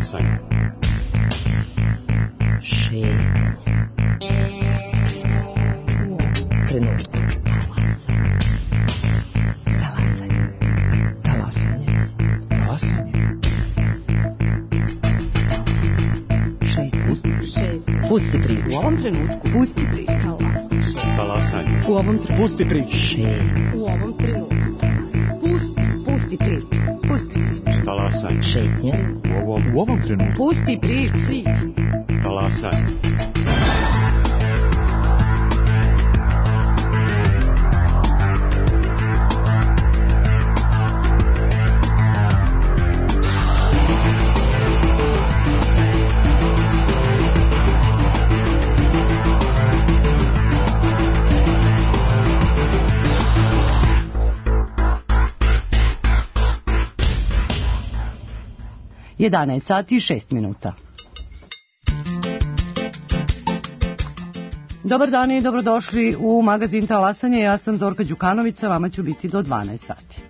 Talasanje. Šetnje. Trenutku. Talasanje. Talasanje. Talasanje. Šetnje. Pusti priču. U ovom trenutku. Pusti priču. Talasanje. U ovom trenutku. Pusti priču. Šetnje. U ovom trenutku. Pusti priču. Pusti priču. Talasanje. Šetnje. U ovom trenutku. Pusti priču. Talasanje. Jedanaest sati i 6 minuta. Dobar dan i dobrodošli u magazin Talasanje. Ja sam Zorka Đukanović, vama ću biti do 12 sati.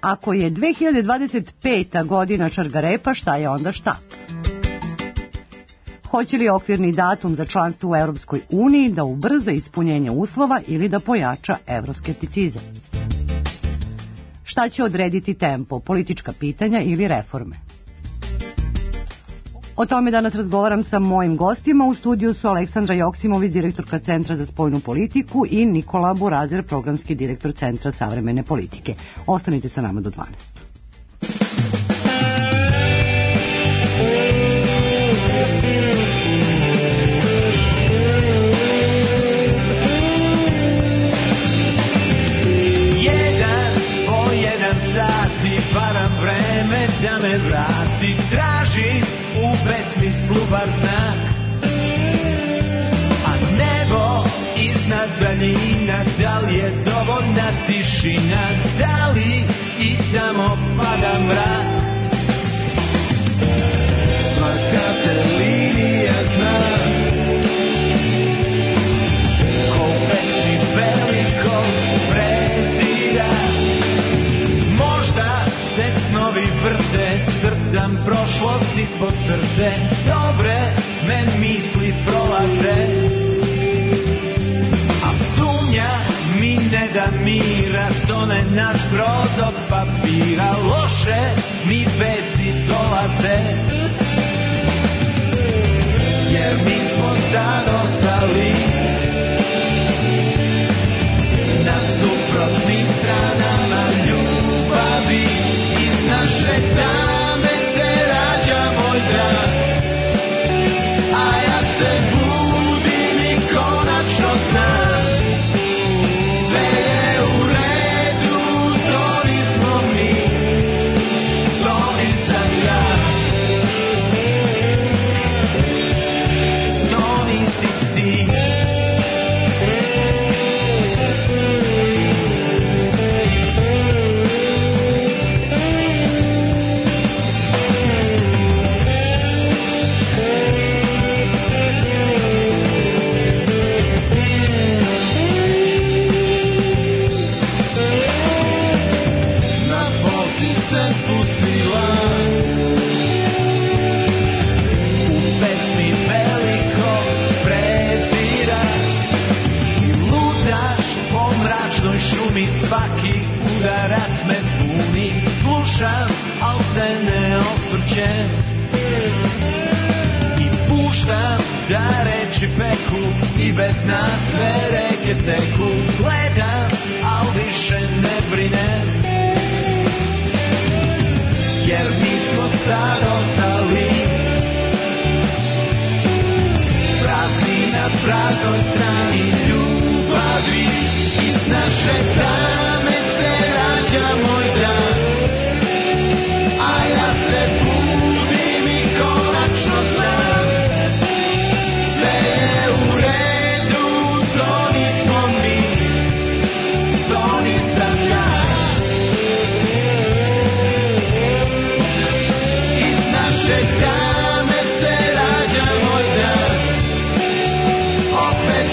Ako je 2025. godina Šargarepa, šta je onda šta? Hoće li okvirni datum za članstvo u Europskoj uniji da ubrza ispunjenje uslova ili da pojača evroskepticizam? Šta će odrediti tempo, politička pitanja ili reforme? O tome danas razgovaram sa mojim gostima. U studiju su Aleksandra Joksimović, direktorka Centra za spoljnu politiku, i Nikola Burazer, programski direktor Centra savremene politike. Ostanite sa nama do 12. Varam vreme da me vrati, tražim u besmislu bar znak, a nebo iznad daljina, da li je dovoljna tišina, da li i tamo pada mrak. Svaka te linija zna ko u pesmi velikog prezira. Snovi vrte, crtam prošlost ispod crte, dobre me misli prolaze, a sumnja mi ne da mira, tone naš brod od papira, loše mi vesti dolaze, jer mi smo sad ostali na suprotnim stranama ljubavi. Naše tame se rađa moj drag, a ja se budim i konačno znam, sve je u redu, to nismo mi, to nisam ja, to nisi ti. Svaki udarac me zbuni, slušam, al se ne osvrćem i puštam da reči peku i bez nas sve reke teku. Gledam, al više ne brinem, jer mi smo sad ostali prazni na praznoj strani ljubavi. Iz naše tame se rađa moj dan, a ja se budim i konačno znam, sve je u redu, to nismo mi, to nisam ja. Iz naše tame se rađa moj dan, opet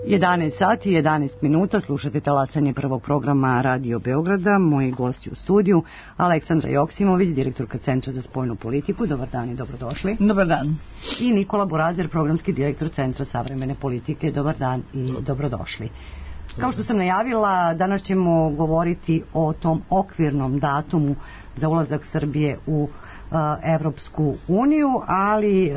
11 sati i 11 minuta, slušate talasanje prvog programa Radio Beograda. Moji gosti u studiju, Aleksandra Joksimović, direktorka Centra za spoljnu politiku. Dobar dan i dobrodošli. Dobar dan. I Nikola Burazer, programski direktor Centra savremene politike. Dobar dan i dobrodošli. Kao što sam najavila, danas ćemo govoriti o tom okvirnom datumu za ulazak Srbije u Evropsku uniju, ali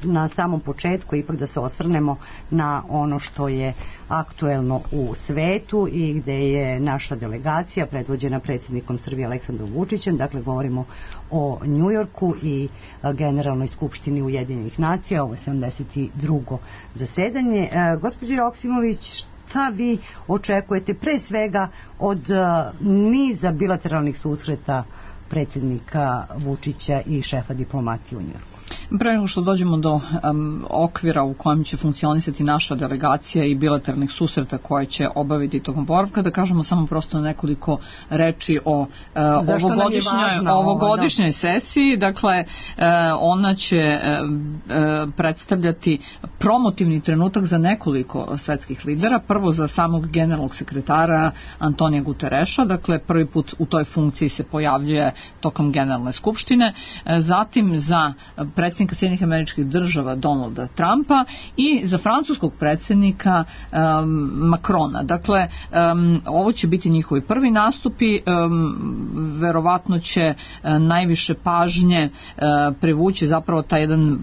na samom početku ipak da se osvrnemo na ono što je aktuelno u svetu i gde je naša delegacija predvođena predsjednikom Srbije Aleksandrom Vučićem. Dakle, govorimo o Njujorku i Generalnoj skupštini Ujedinjenih nacija. Ovo je 72. zasedanje. Gospođo Joksimović, šta vi očekujete pre svega od niza bilateralnih susreta predsjednika Vučića i šefa diplomatije u Njujorku? Pre nego što dođemo do okvira u kojem će funkcionisati naša delegacija i bilateralnih susreta koje će obaviti tokom boravka, da kažemo samo prosto nekoliko reči o ovogodišnjoj sesiji. Dakle, ona će predstavljati promotivni trenutak za nekoliko svetskih lidera. Prvo za samog generalnog sekretara Antonija Gutereša, dakle prvi put u toj funkciji se pojavljuje tokom Generalne skupštine, zatim za predsjednika Sjedinjenih Američkih Država Donalda Trumpa i za francuskog predsjednika Macrona. Dakle, ovo će biti njihovi prvi nastupi, verovatno će najviše pažnje privući zapravo taj jedan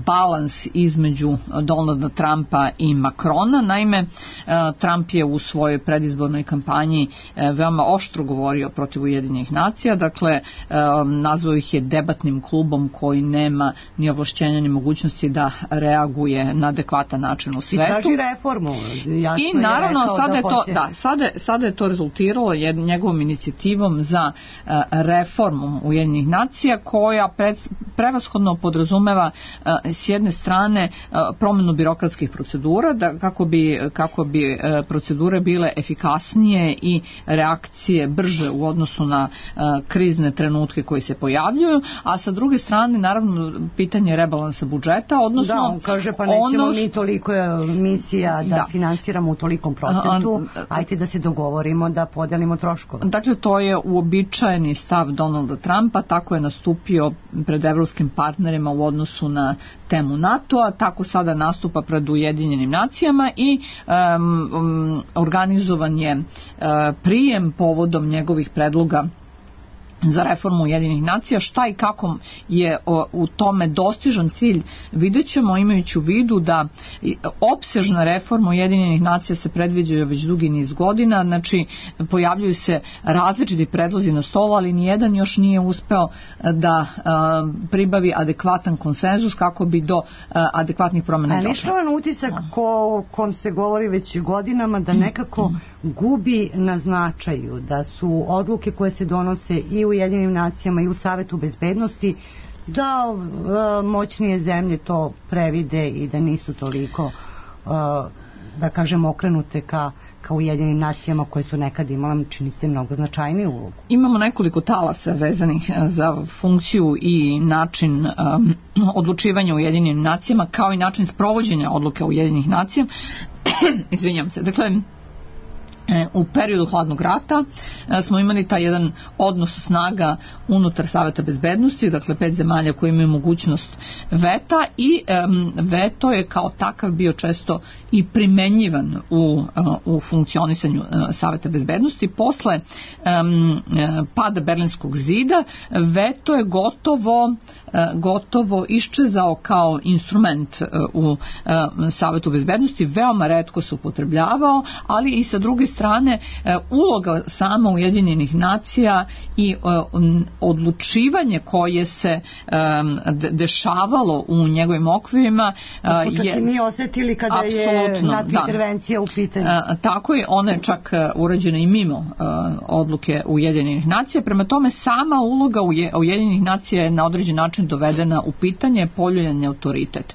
balans između Donalda Trumpa i Macrona. Naime, Trump je u svojoj predizbornoj kampanji veoma oštro govorio protiv Ujedinjenih nacija, dakle nazvao ih je debatnim klubom koji nema ni ovlašćenja ni mogućnosti da reaguje na adekvatan način u svetu. I traži reformu. I naravno sada je to rezultiralo njegovom inicijativom za reformu Ujedinjenih nacija koja prevashodno podrazumeva s jedne strane promjenu birokratskih procedura kako bi procedure bile efikasnije i reakcije brže u odnosu na krizne trenutke koji se pojavljuju, a sa druge strane naravno pitanje rebalansa budžeta, odnosno da, on kaže pa nećemo mi toliko misija da finansiramo u tolikom procentu, ajte da se dogovorimo da podelimo troškove. Dakle, to je uobičajeni stav Donalda Trumpa, tako je nastupio pred evropskim partnerima u odnosu na temu NATO-a, tako sada nastupa pred Ujedinjenim nacijama i organizovan je prijem povodom njegovih predloga za reformu Ujedinjenih nacija. Šta i kako je u tome dostižan cilj vidjet ćemo, imajući u vidu da opsežna reforma Ujedinjenih nacija se predviđa već dugi niz godina, znači pojavljuju se različiti predlozi na stolu, ali nijedan još nije uspeo da pribavi adekvatan konsenzus kako bi do adekvatnih promjena došlo. Ali što je utisak kom se govori već godinama da nekako gubi na značaju, da su odluke koje se donose i u Ujedinjenim nacijama i u Savetu bezbednosti da moćnije zemlje to previde i da nisu toliko da kažem okrenute ka Ujedinjenim nacijama koje su nekad imala, čini se, mnogo značajniju ulogu. Imamo nekoliko talasa vezanih za funkciju i način odlučivanja u Ujedinjenim nacijama kao i način sprovođenja odluke Ujedinjenih nacija. Izvinjam se. Dakle, u periodu hladnog rata smo imali taj jedan odnos snaga unutar Saveta bezbednosti, dakle 5 zemalja koji imaju mogućnost veta i veto je kao takav bio često i primenjivan u funkcionisanju Saveta bezbednosti. Posle pada Berlinskog zida veto je gotovo iščezao kao instrument u Savetu bezbednosti, veoma retko se upotrebljavao, ali i sa druge strane uloga sama Ujedinjenih nacija i odlučivanje koje se dešavalo u njegovim okvirima je mi osjetili kada je NATO intervencija u pitanju. Tako je, ona je čak urađena i mimo odluke Ujedinjenih nacija. Prema tome, sama uloga Ujedinjenih nacija je na određen način dovedena u pitanje, poljuljan je autoritet.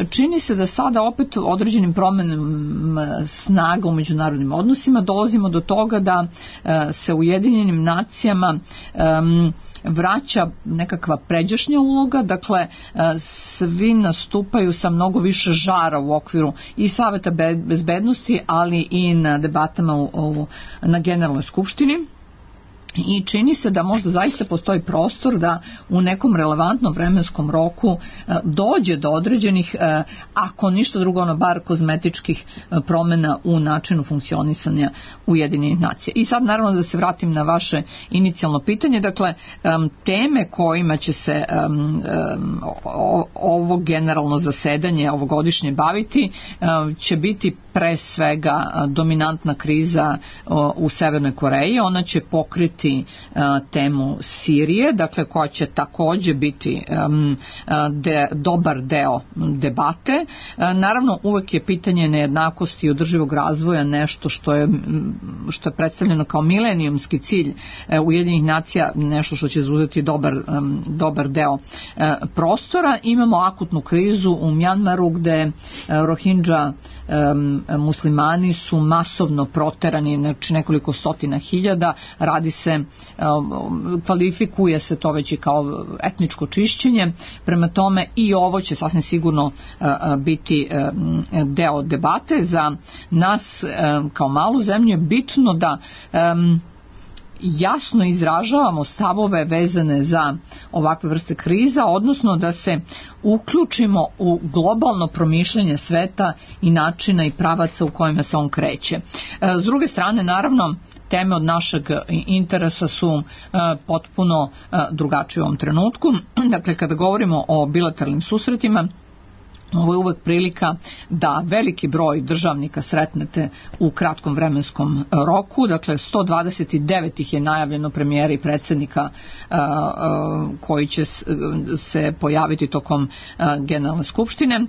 Čini se da sada opet određenim promjenama snaga u međunarodnim međunarodnim odnosima, dolazimo do toga da se Ujedinjenim nacijama vraća nekakva pređašnja uloga, dakle svi nastupaju sa mnogo više žara u okviru i Saveta bezbednosti, ali i na debatama na Generalnoj skupštini. I čini se da možda zaista postoji prostor da u nekom relevantnom vremenskom roku dođe do određenih, ako ništa drugo, bar kozmetičkih promjena u načinu funkcionisanja Ujedinjenih nacija. I sad naravno da se vratim na vaše inicijalno pitanje, dakle teme kojima će se ovo generalno zasedanje ovogodišnje baviti će biti pre svega dominantna kriza u Severnoj Koreji. Ona će pokriti temu Sirije, dakle koja će također biti dobar deo debate. Naravno uvek je pitanje nejednakosti i održivog razvoja nešto što je predstavljeno kao milenijumski cilj Ujedinjenih nacija, nešto što će zauzeti dobar deo prostora. Imamo akutnu krizu u Mjanmaru gde Rohingya muslimani su masovno proterani, znači nekoliko stotina hiljada. Radi se, kvalifikuje se to već i kao etničko čišćenje. Prema tome i ovo će sasvim sigurno biti deo debate. Za nas kao malu zemlju je bitno da jasno izražavamo stavove vezane za ovakve vrste kriza, odnosno da se uključimo u globalno promišljanje sveta i načina i pravaca u kojima se on kreće. S druge strane, naravno, teme od našeg interesa su potpuno drugačije u ovom trenutku. Dakle, kada govorimo o bilateralnim susretima, ovo je uvek prilika da veliki broj državnika sretnete u kratkom vremenskom roku. Dakle, 129 ih je najavljeno, premijera i predsjednika koji će se pojaviti tokom Generalne skupštine.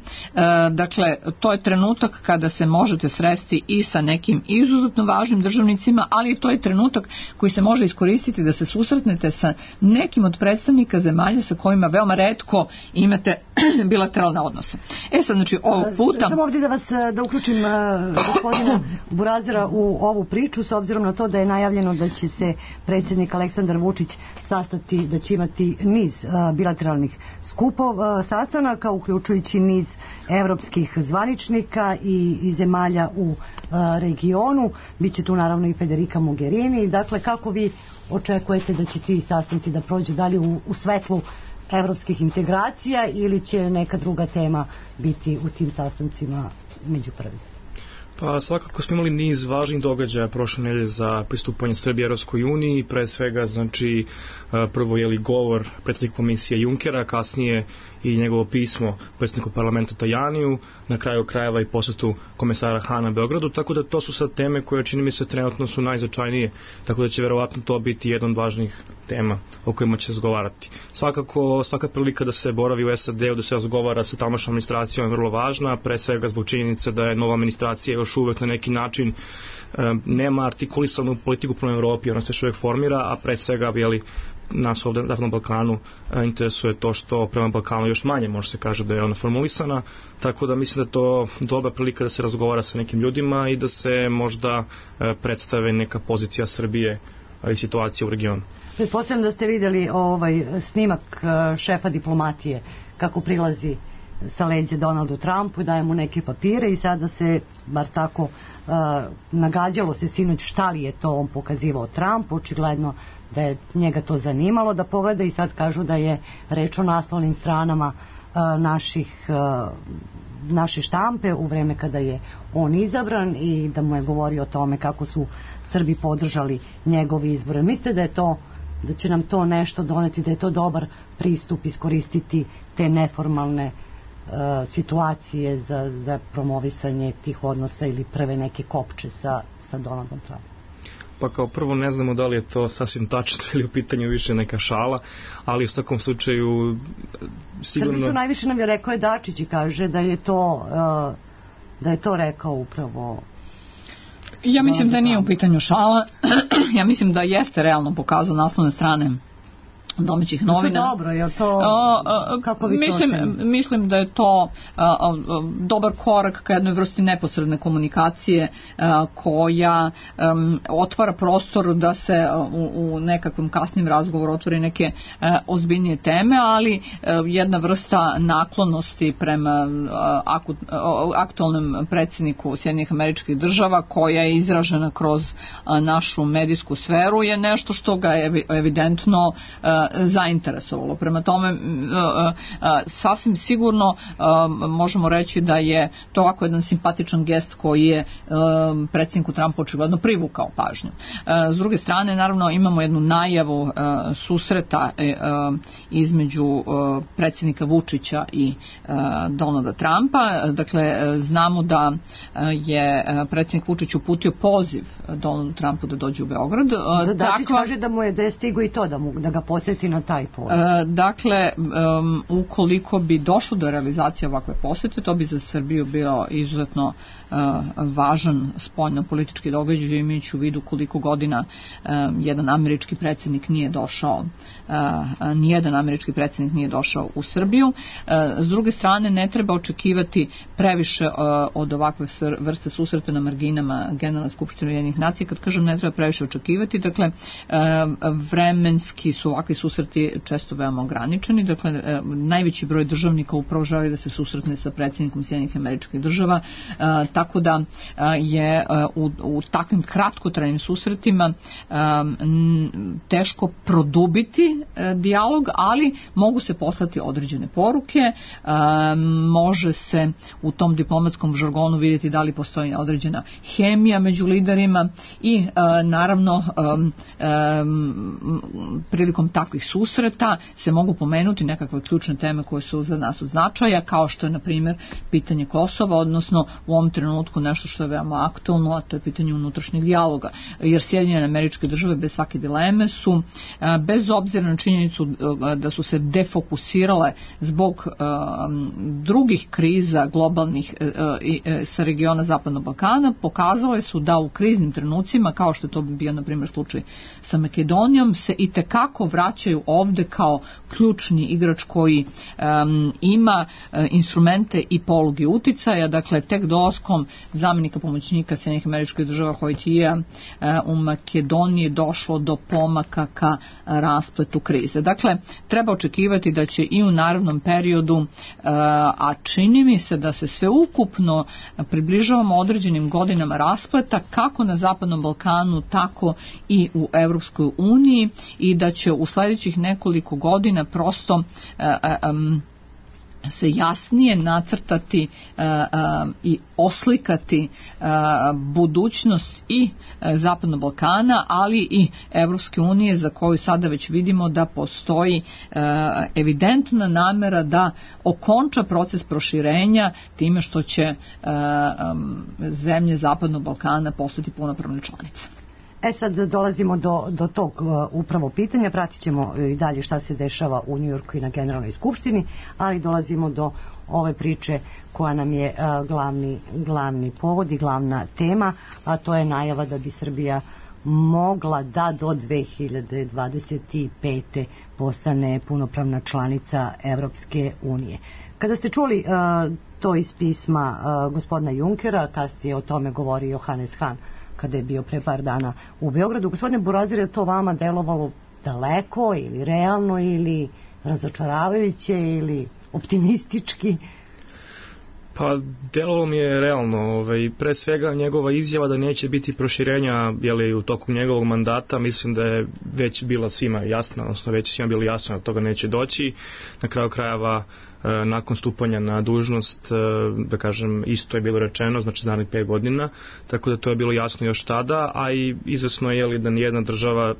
Dakle, to je trenutak kada se možete sresti i sa nekim izuzetno važnim državnicima, ali to je trenutak koji se može iskoristiti da se susretnete sa nekim od predstavnika zemalja sa kojima veoma retko imate bilateralne odnose. Sad, znači, ovog puta... Samo ovdje da uključim gospodina Burazira u ovu priču, s obzirom na to da je najavljeno da će se predsjednik Aleksandar Vučić sastati, da će imati niz bilateralnih sastanaka, uključujući niz evropskih zvaničnika i zemalja u regionu. Biće tu naravno i Federica Mogherini. Dakle, kako vi očekujete da će ti sastanci da prođu dalje u svetlu evropskih integracija ili će neka druga tema biti u tim sastancima među prvim? Pa svakako smo imali niz važnih događaja prošle nedelje za pristupanje Srbije Evropskoj uniji, pre svega znači prvo je govor predsjednika komisije Junckera, kasnije i njegovo pismo predsjedniku parlamenta Tajaniju, na kraju krajeva i posjetu komesara Hana Beogradu, tako da to su sad teme koje čini mi se trenutno su najznačajnije, tako da će verovatno to biti jedan od važnih tema o kojima će se razgovarati. Svakako, svaka prilika da se boravi u SAD-u, da se razgovara sa tamošnjom administracijom je vrlo važna, pre svega zbog činjenice da je nova administracija još uvek na neki način nema artikulisanu politiku prema Evropi, ona se još uvijek formira, a pre svega nas ovdje na Zapadnom Balkanu interesuje to što prema Balkanu još manje može se kaže da je ona formulisana, tako da mislim da je to dobra prilika da se razgovara sa nekim ljudima i da se možda predstave neka pozicija Srbije i situacija u regionu. Pretpostavljam da ste vidjeli snimak šefa diplomatije kako prilazi sa leđa Donaldu Trumpu, daje mu neke papire i sada se, bar tako nagađalo se sinoć šta li je to on pokazivao Trumpu, očigledno da je njega to zanimalo da pogleda i sad kažu da je reč o naslovnim stranama naše štampe u vreme kada je on izabran i da mu je govorio o tome kako su Srbi podržali njegove izbore. Mislite da će nam to nešto doneti, da je to dobar pristup iskoristiti te neformalne situacije za promovisanje tih odnosa ili prve neke kopče sa Donaldom Trumpom? Pa kao prvo ne znamo da li je to sasvim tačno ili u pitanju više neka šala, ali u svakom slučaju sigurno... Srbi su najviše nam je rekao je Dačić i kaže da je to rekao upravo... Ja mislim da nije u pitanju šala. Ja mislim da jeste realno pokazao naslovne strane domaćih novina. To dobro, je to kako vi mislim da je to dobar korak ka jednoj vrsti neposredne komunikacije koja otvara prostor da se u nekakvom kasnim razgovoru otvori neke ozbiljnije teme, ali jedna vrsta naklonosti prema aktualnom predsjedniku Sjedinjenih Američkih Država koja je izražena kroz našu medijsku sferu je nešto što ga je evidentno zainteresovalo. Prema tome sasvim sigurno možemo reći da je to ovako jedan simpatičan gest koji je predsjedniku Trumpu očigledno privukao pažnju. S druge strane, naravno, imamo jednu najavu susreta između predsjednika Vučića i Donalda Trumpa. Dakle, znamo da je predsjednik Vučić uputio poziv Donaldu Trumpu da dođe u Beograd. Dačić kaže da je stigo i to da ga posjeti na taj poziv. Dakle, ukoliko bi došlo do realizacije ovakve posjete, to bi za Srbiju bio izuzetno važan spoljno-politički događaj, imajući u vidu koliko godina nijedan američki predsjednik nije došao u Srbiju. S druge strane, ne treba očekivati previše od ovakve vrste susreta na marginama Generalne skupštine Ujedinjenih nacija. Kad kažem ne treba previše očekivati, dakle, vremenski su ovakvi susreti često veoma ograničeni. Dakle, najveći broj državnika upravo želi da se susretne sa predsjednikom Sjedinjenih Američkih Država, tako da je u takvim kratkotrajnim susretima teško produbiti dijalog, ali mogu se poslati određene poruke, može se u tom diplomatskom žargonu vidjeti da li postoji određena hemija među liderima i naravno prilikom takvih susreta se mogu pomenuti nekakve ključne teme koje su za nas od značaja, kao što je na primjer pitanje Kosova, odnosno u ovom trenutku nešto što je veoma aktualno, a to je pitanje unutrašnjeg dijaloga, jer Sjedinjene Američke Države bez svake dileme su, bez obzira na činjenicu da su se defokusirale zbog drugih kriza globalnih sa regiona Zapadnog Balkana, pokazale su da u kriznim trenucima, kao što je to bio na primjer slučaj sa Makedonijom, se itekako vraćaju ovde kao ključni igrač koji ima instrumente i poluge uticaja. Dakle, tek dolaskom zamjenika pomoćnika Sjedinjenih Američkih Država Hojtija u Makedoniji došlo do pomaka ka raspletu krize. Dakle, treba očekivati da će i u narednom periodu, a čini mi se da se sve ukupno približavamo određenim godinama raspleta kako na Zapadnom Balkanu, tako i u Evropskoj uniji, i da će u sljedećih nekoliko godina prosto se jasnije nacrtati i oslikati budućnost i Zapadnog Balkana, ali i Evropske unije, za koju sada već vidimo da postoji evidentna namera da okonča proces proširenja time što će zemlje Zapadnog Balkana postati punopravne članice. Sad dolazimo do tog upravo pitanja, pratit ćemo i dalje šta se dešava u Njujorku i na Generalnoj skupštini, ali dolazimo do ove priče koja nam je glavni povod i glavna tema, a to je najava da bi Srbija mogla da do 2025. postane punopravna članica Evropske unije. Kada ste čuli to iz pisma gospodina Junkera, kasnije o tome govori Johannes Hahn kada je bio pre par dana u Beogradu. Gospodine Burazir, je to vama delovalo daleko ili realno ili razočaravajuće ili optimistički? Pa delovalo mi je realno, pre svega njegova izjava da neće biti proširenja u toku njegovog mandata, mislim da je već bila svima jasna, odnosno već svima bilo jasno da toga neće doći. Na kraju krajeva, nakon stupanja na dužnost, da kažem, isto je bilo rečeno, znači za 5 godina, tako da to je bilo jasno još tada, a i izvesno je da nijedna država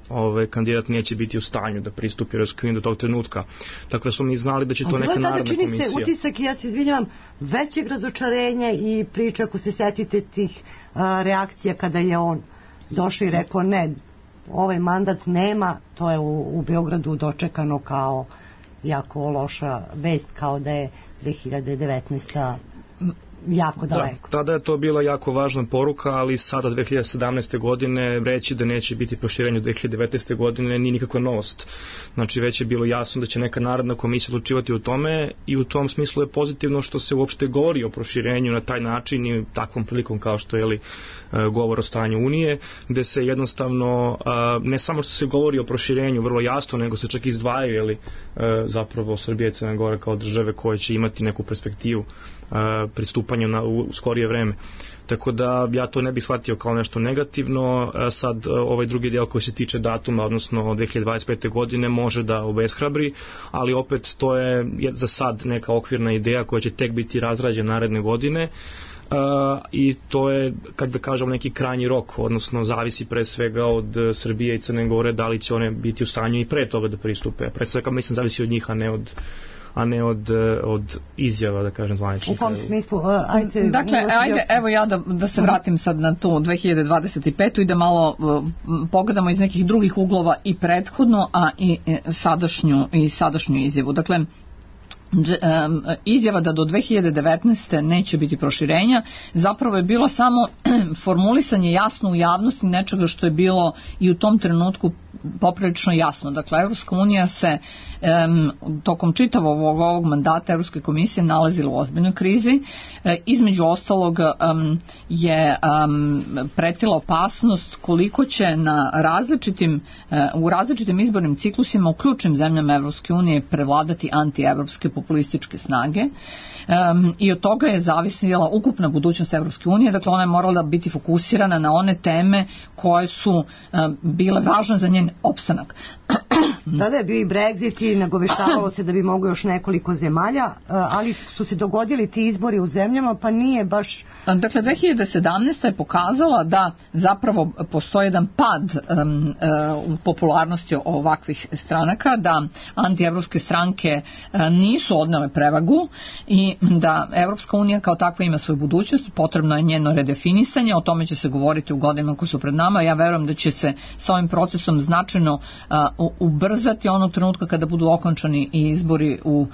kandidat neće biti u stanju da pristupi Evropskoj uniji do tog trenutka. Tako da smo mi znali da će to neka narodna komisija. Čini se utisak, ja se izvinjavam, većeg razočarenja i priča, ako se setite tih reakcija kada je on došao i rekao ne, ovaj mandat nema, to je u Beogradu dočekano kao jako loša vest, kao da je 2019. jako daleko. Tada je to bila jako važna poruka, ali sada 2017. godine reći da neće biti proširenje 2019. godine nije nikakva novost. Znači već je bilo jasno da će neka narodna komisija odlučivati o tome i u tom smislu je pozitivno što se uopšte govori o proširenju na taj način i takvom prilikom kao što je govor o stanju Unije, gde se jednostavno ne samo što se govori o proširenju vrlo jasno, nego se čak izdvajaju zapravo Srbija i Crna Gora kao države koje će imati neku perspektivu pristupanja u skorije vreme. Tako da ja to ne bih shvatio kao nešto negativno. Sad ovaj drugi deo koji se tiče datuma, odnosno 2025. godine, može da obeshrabri, ali opet to je za sad neka okvirna ideja koja će tek biti razrađena naredne godine. I to je, kako da kažem, neki krajnji rok, odnosno zavisi pre svega od Srbije i Crne Gore da li će one biti u stanju i pre toga da pristupe. Pre svega mislim zavisi od njih, a ne od izjava, da kažem, zvaničnika. U kom smislu? Dakle, evo ja da se vratim sad na tu 2025. i da malo pogledamo iz nekih drugih uglova i prethodno, a i sadašnju izjavu. Dakle, izjava da do 2019. neće biti proširenja zapravo je bilo samo formulisanje jasno u javnosti nečega što je bilo i u tom trenutku poprilično jasno. Dakle, Evropska unija se tokom čitavog ovog mandata Evropske komisije nalazila u ozbiljnoj krizi. Između ostalog je pretila opasnost koliko će u različitim izbornim ciklusima u ključnim zemljama Evropske unije prevladati antievropske populističke snage i od toga je zavisila ukupna budućnost Evropske unije. Dakle, ona je morala biti fokusirana na one teme koje su bile važne za njen opstanak. Tada je bio i Brexit i nagoveštavalo se da bi mogo još nekoliko zemalja, ali su se dogodili ti izbori u zemljama, pa nije baš... Dakle, 2017. je pokazala da zapravo postoji jedan pad u popularnosti ovakvih stranaka, da antievropske stranke nisu odnele prevagu i da Evropska unija kao takva ima svoju budućnost, potrebno je njeno redefinisanje, o tome će se govoriti u godinama koje su pred nama. Ja verujem da će se sa ovim procesom značajno ubrzati onog trenutka kada budu okončani izbori u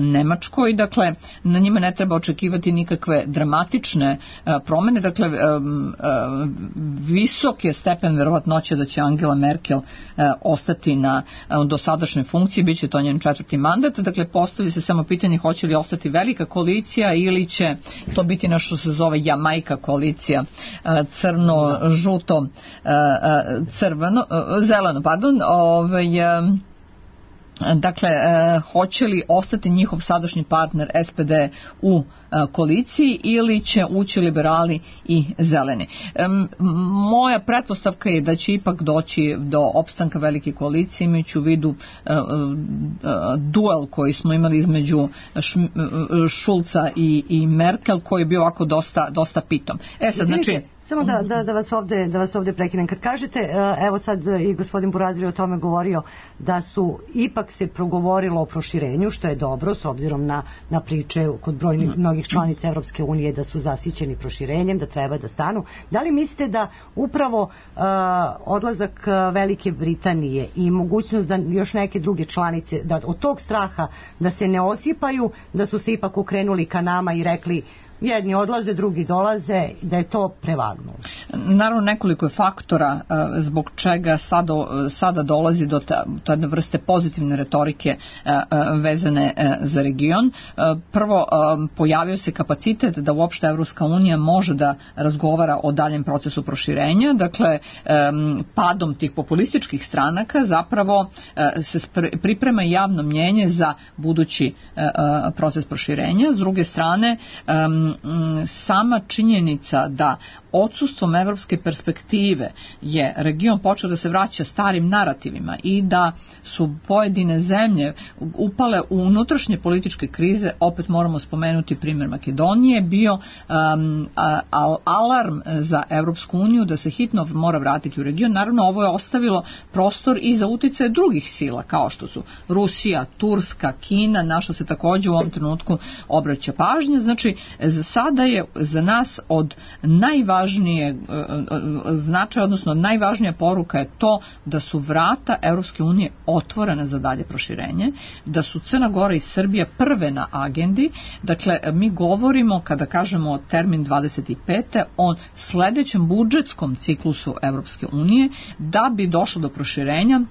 Nemačkoj. Dakle, na njima ne treba očekivati nikakve dramatične promene. Dakle, visok je stepen verovatnoće da će Angela Merkel ostati na dosadašnjoj funkciji, bit će to njen 4. mandat. Dakle, postavi se samo pitanje hoće li ostati velika koalicija ili će to biti nešto se zove Jamajka koalicija, crno, žuto, zeleno, dakle, hoće li ostati njihov sadašnji partner SPD u koaliciji ili će ući liberali i zeleni. Moja pretpostavka je da će ipak doći do opstanka velike koalicije, imajući u vidu duel koji smo imali između Šulca i Merkel, koji je bio ovako dosta pitom. Sad, znači... Samo da vas ovdje prekinem. Kad kažete, evo sad i gospodin Burazir o tome govorio, da su ipak se progovorilo o proširenju, što je dobro s obzirom na priče kod brojnih mnogih članica Evropske unije da su zasićeni proširenjem, da treba da stanu. Da li mislite da upravo odlazak Velike Britanije i mogućnost da još neke druge članice, da od tog straha da se ne osipaju, da su se ipak okrenuli ka nama i rekli jedni odlaze, drugi dolaze, da je to prevagnulo? Naravno, nekoliko je faktora zbog čega sada dolazi do te vrste pozitivne retorike vezane za region. Prvo, pojavio se kapacitet da uopšte Evropska unija može da razgovara o daljem procesu proširenja. Dakle, padom tih populističkih stranaka zapravo se priprema javno mnjenje za budući proces proširenja. S druge strane, sama činjenica da odsustvom evropske perspektive je region počeo da se vraća starim narativima i da su pojedine zemlje upale u unutrašnje političke krize, opet moramo spomenuti primjer Makedonije, bio alarm za Evropsku uniju da se hitno mora vratiti u region. Naravno, ovo je ostavilo prostor i za uticaje drugih sila, kao što su Rusija, Turska, Kina, na što se također u ovom trenutku obraća pažnja. Znači, za sada je za nas od najvažnijeg značaj, odnosno najvažnija poruka je to da su vrata Europske unije otvorene za dalje proširenje, da su Crna Gora i Srbija prve na agendi. Dakle, mi govorimo, kada kažemo termin 25. o sledećem budžetskom ciklusu Europske unije. Da bi došlo do proširenja,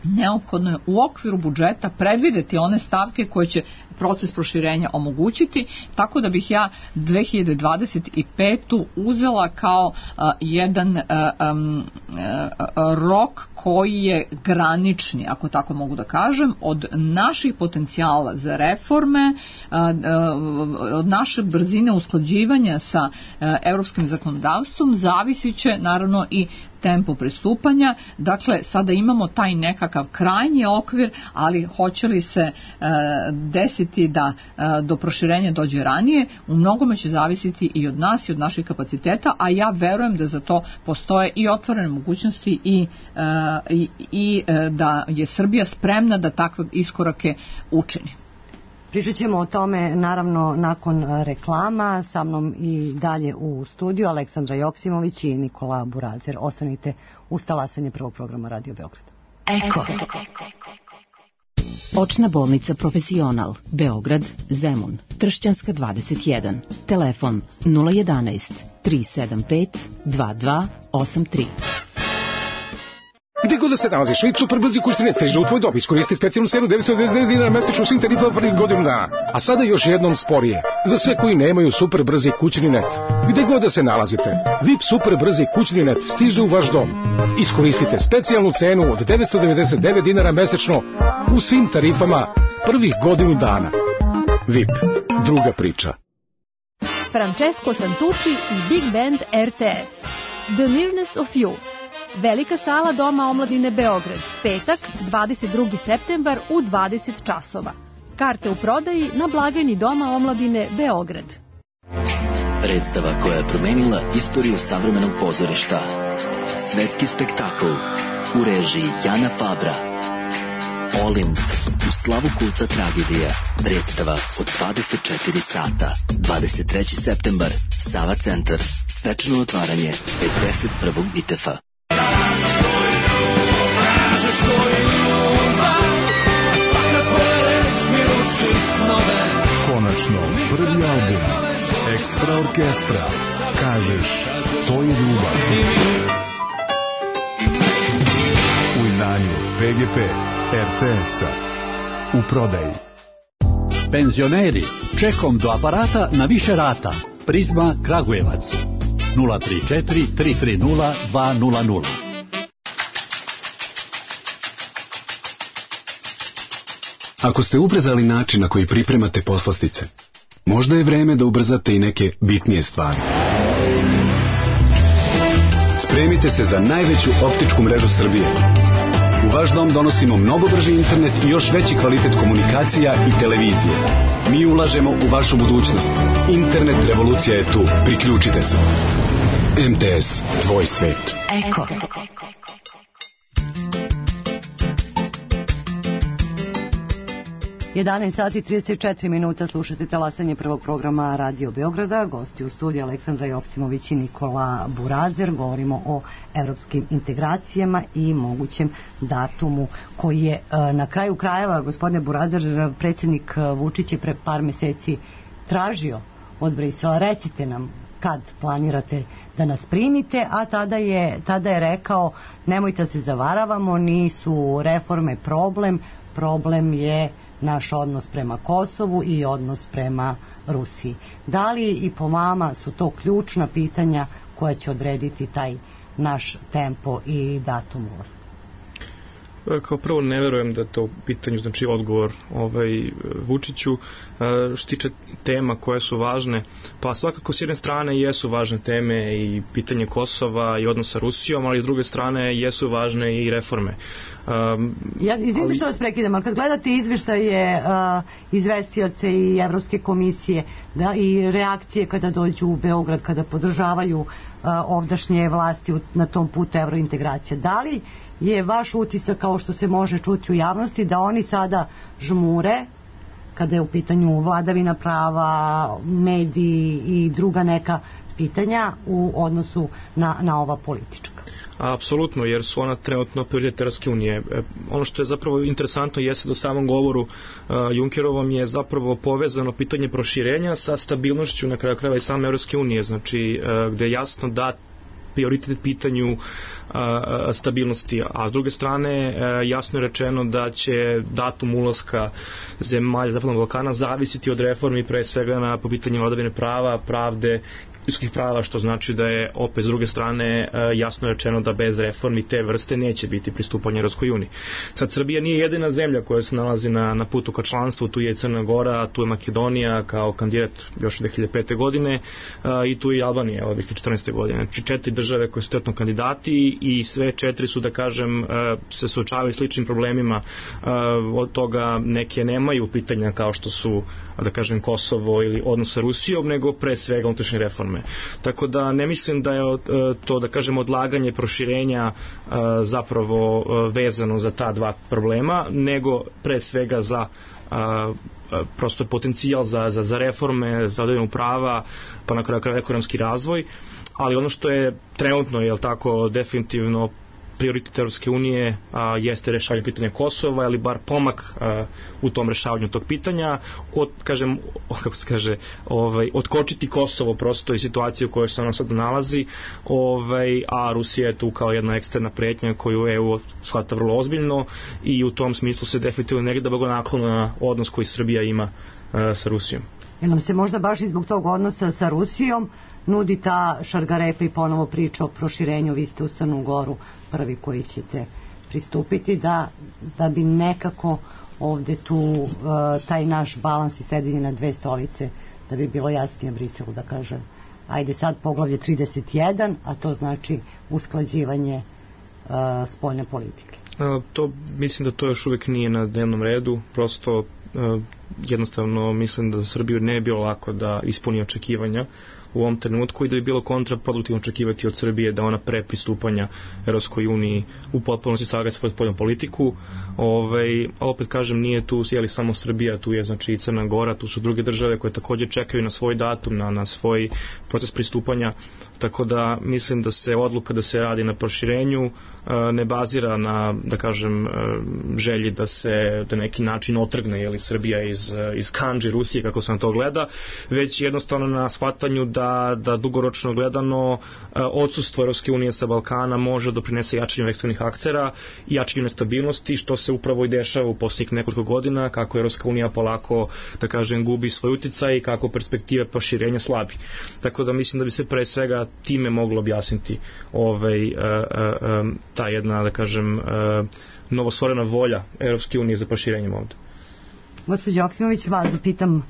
neophodno je u okviru budžeta predvideti one stavke koje će proces proširenja omogućiti, tako da bih ja 2025. uzela kao jedan rok koji je granični, ako tako mogu da kažem, od naših potencijala za reforme, od naše brzine usklađivanja sa europskim zakonodavstvom, zavisit će naravno i tempo pristupanja. Dakle, sada imamo taj nekakav krajnji okvir, ali hoće li se desiti da do proširenja dođe ranije, u mnogome će zavisiti i od nas i od naših kapaciteta, a ja verujem da za to postoje i otvorene mogućnosti i da je Srbija spremna da takve iskorake učini. Pričat ćemo o tome naravno nakon reklama. Sa mnom i dalje u studiju Aleksandra Joksimović i Nikola Burazer. Ostanite uz talasanje prvog programa Radio Beograd. Eko. Očna bolnica Profesional, Beograd, Zemun, Tršćanska 21, telefon 011 375 2283. Gde god da se nalaziš, VIP superbrzi kursi ne stiže u tvoj dom. Iskoristi specijalnu cenu 999 dinara mesečno svim tarifama prvih godinu dana. A sada još jednom sporije. Za sve koji nemaju superbrzi kućni net. Gde god da se nalazite, VIP superbrzi kućni net stiže u vaš dom. Iskoristite specijalnu cenu od 999 dinara mesečno u svim tarifama prvih godinu dana. VIP. Druga priča. Francesco Santucci i Big Band RTS. The Nearness of You. Velika sala Doma omladine Beograd, petak, 22. septembar u 20 časova. Karte u prodaji na blagajni Doma omladine Beograd. Predstava koja je promenila istoriju savremenog pozorišta. Svetski spektakl u režiji Jana Fabra. Olimp u slavu kulta tragedija. Predstava od 24 sata. 23. septembar, Sava centar. Svečano otvaranje 51. ITF-a. Konačno, prvi album Ekstra orkestra. Kažeš, to je ljubav. U izdanju PGP RTS-a. U prodaji. Penzioneri, čekom do aparata na više rata. Prizma Kragujevac. 034 330 200. Ako ste ubrzali način na koji pripremate poslastice, možda je vreme da ubrzate i neke bitnije stvari. Spremite se za najveću optičku mrežu Srbije. U vaš dom donosimo mnogo brži internet i još veći kvalitet komunikacija i televizije. Mi ulažemo u vašu budućnost. Internet revolucija je tu. Priključite se. MTS, tvoj svet. Eko. 11 sati 34 minuta, slušate talasanje prvog programa Radio Beograda. Gosti u studiju Aleksandra Joksimović i Nikola Burazer. Govorimo o evropskim integracijama i mogućem datumu koji je na kraju krajeva, gospodine Burazer, predsjednik Vučić je pre par meseci tražio od Brisela. Recite nam kad planirate da nas primite, a tada je rekao nemojte se zavaravamo, nisu reforme problem je naš odnos prema Kosovu i odnos prema Rusiji. Da li i po vama su to ključna pitanja koja će odrediti taj naš tempo i datum ulaska? Kao prvo ne verujem da to pitanju znači odgovor Vučiću. Što tiče tema koje su važne, pa svakako s jedne strane jesu važne teme i pitanje Kosova i odnosa sa Rusijom, ali s druge strane jesu važne i reforme. Izvinite što vas prekidam, ali kad gledate izveštaje izvestioce i Evropske komisije i reakcije kada dođu u Beograd, kada podržavaju ovdašnje vlasti na tom putu evrointegracije, da li je vaš utisak, kao što se može čuti u javnosti, da oni sada žmure kada je u pitanju vladavina prava, mediji i druga neka pitanja u odnosu na ova politička. Apsolutno, jer su ona trenutno prioritet Evropske unije. Ono što je zapravo interesantno jeste da u samom govoru Junckerovom je zapravo povezano pitanje proširenja sa stabilnošću na kraju krajeva i same Evropske unije, znači gde je jasno da prioritet pitanju stabilnosti, a s druge strane jasno je rečeno da će datum ulaska zemalja Zapadnog Balkana zavisiti od reformi, pre svega po pitanju vladavine prava, pravde, ljudskih prava, što znači da je opet s druge strane jasno rečeno da bez reformi te vrste neće biti pristupanje Evropskoj uniji. Sad, Srbija nije jedina zemlja koja se nalazi na putu ka članstvu, tu je Crna Gora, tu je Makedonija kao kandidat još 2005. godine i tu je Albanija od 2014. godine. Znači 4 države koje su trenutno kandidati i sve 4 su, da kažem, se suočavaju sličnim problemima, od toga neke nemaju pitanja kao što su, da kažem, Kosovo ili odnos sa Rusijom, nego pre svega unutrašnje reforme. Tako da ne mislim da je to, da kažem, odlaganje proširenja zapravo vezano za ta dva problema, nego pre svega za prosto potencijal za reforme, za vladavinu prava, pa na kraju ekonomski razvoj, ali ono što je trenutno, je tako, definitivno prioritet Evropske unije jeste rešavanje pitanja Kosova, ili bar pomak u tom rešavanju tog pitanja, otkočiti Kosovo prosto i situaciju u kojoj se ono sad nalazi, a Rusija je tu kao jedna eksterna pretnja koju EU shvata vrlo ozbiljno i u tom smislu se definitivno negdje blagonaklona na odnos koji Srbija ima sa Rusijom. Jer nam se možda baš i zbog tog odnosa sa Rusijom nudi ta šargarepa i ponovo priča o proširenju, vi ste u Crnu Goru prvi koji ćete pristupiti, da bi nekako ovde tu taj naš balans i sedenje na dve stolice, da bi bilo jasnije Briselu da kaže ajde sad poglavlje 31, a to znači usklađivanje spoljne politike. To mislim da to još uvijek nije na dnevnom redu, prosto jednostavno mislim da za Srbiju ne je bilo lako da ispuni očekivanja u ovom trenutku i da bi bilo kontraproduktivno očekivati od Srbije da ona pre pristupanja Evropskoj uniji u potpunosti sagleda svoju spoljnu politiku. Opet kažem, nije tu samo Srbija, tu je znači i Crna Gora, tu su druge države koje također čekaju na svoj datum, na svoj proces pristupanja, tako da mislim da se odluka da se radi na proširenju ne bazira na, da kažem, želji da se na neki način otrgne Srbija iz kandži Rusije, kako se na to gleda, već jednostavno na shvatanju da dugoročno gledano odsustvo Evropske unije sa Balkana može doprinese jačanju eksternih aktera i jačanju nestabilnosti, što se upravo i dešava u posljednjih nekoliko godina, kako Evropska unija polako, da kažem, gubi svoj uticaj i kako perspektive proširenja slabi. Tako da mislim da bi se pre svega time moglo objasniti ta jedna, da kažem, novostvorena volja Evropske unije za proširenjem ovde. Gospođo Joksimović, vas da pitam,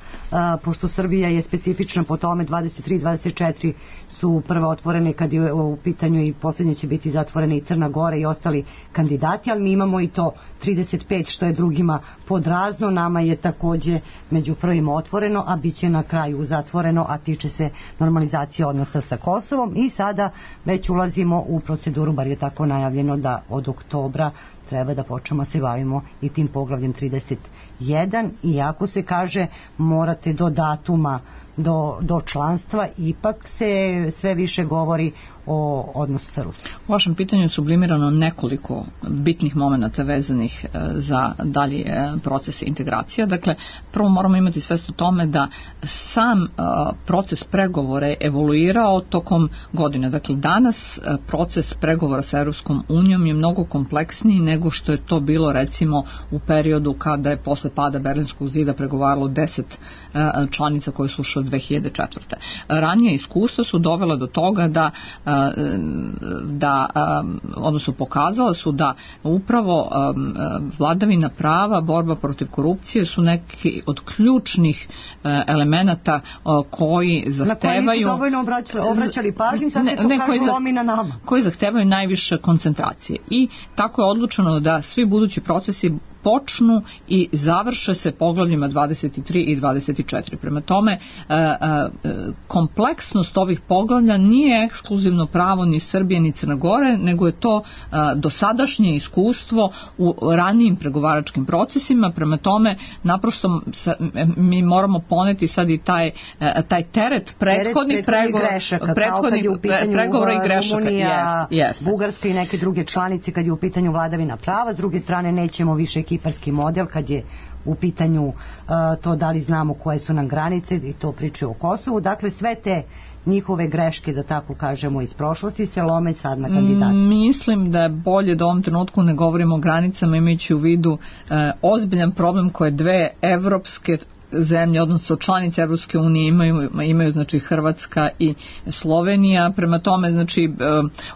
pošto Srbija je specifična po tome, 23-24 su prve otvorene kad je u pitanju i posljednje će biti zatvorene i Crna Gora i ostali kandidati, ali mi imamo i to 35 što je drugima podrazno, nama je takođe među prvima otvoreno, a bit će na kraju zatvoreno, a tiče se normalizacije odnosa sa Kosovom i sada već ulazimo u proceduru, bar je tako najavljeno da od oktobra treba da počnemo se bavimo i tim poglavljem 31, iako se kaže morate do datuma do članstva, ipak se sve više govori o odnosu sa Rusijom. U vašem pitanju je sublimirano nekoliko bitnih momenata vezanih za dalji proces integracija. Dakle, prvo moramo imati svest o tome da sam proces pregovora je evoluirao tokom godine. Dakle, danas proces pregovora sa Evropskom unijom je mnogo kompleksniji nego što je to bilo recimo u periodu kada je posle pada Berlinskog zida pregovaralo 10 članica koje su ušle 2004. Ranije iskustva su dovela do toga odnosno pokazala su da upravo vladavina prava, borba protiv korupcije su neki od ključnih elemenata koji zahtevaju... Na koji nisu dovoljno obraćali pažnju, sad se to kažu lomi na nama. Koji zahtevaju najviše koncentracije. I tako je odlučeno da svi budući procesi počnu i završe se poglavljima 23 i 24. Prema tome, kompleksnost ovih poglavlja nije ekskluzivno pravo ni Srbije ni Crne Gore, nego je to dosadašnje iskustvo u ranijim pregovaračkim procesima. Prema tome, naprosto mi moramo poneti sad i taj teret prethodnih pregovora i grešaka. Rumunija, Bugarska i neke druge članice kad je u pitanju vladavina prava. S druge strane, nećemo više kiparski model kad je u pitanju to da li znamo koje su nam granice i to pričaju o Kosovu. Dakle, sve te njihove greške, da tako kažemo, iz prošlosti se lome sad na kandidata. Mislim da je bolje da u ovom trenutku ne govorimo o granicama, imajući u vidu ozbiljan problem koje dve evropske zemlje, odnosno članice Evropske unije imaju znači Hrvatska i Slovenija. Prema tome, znači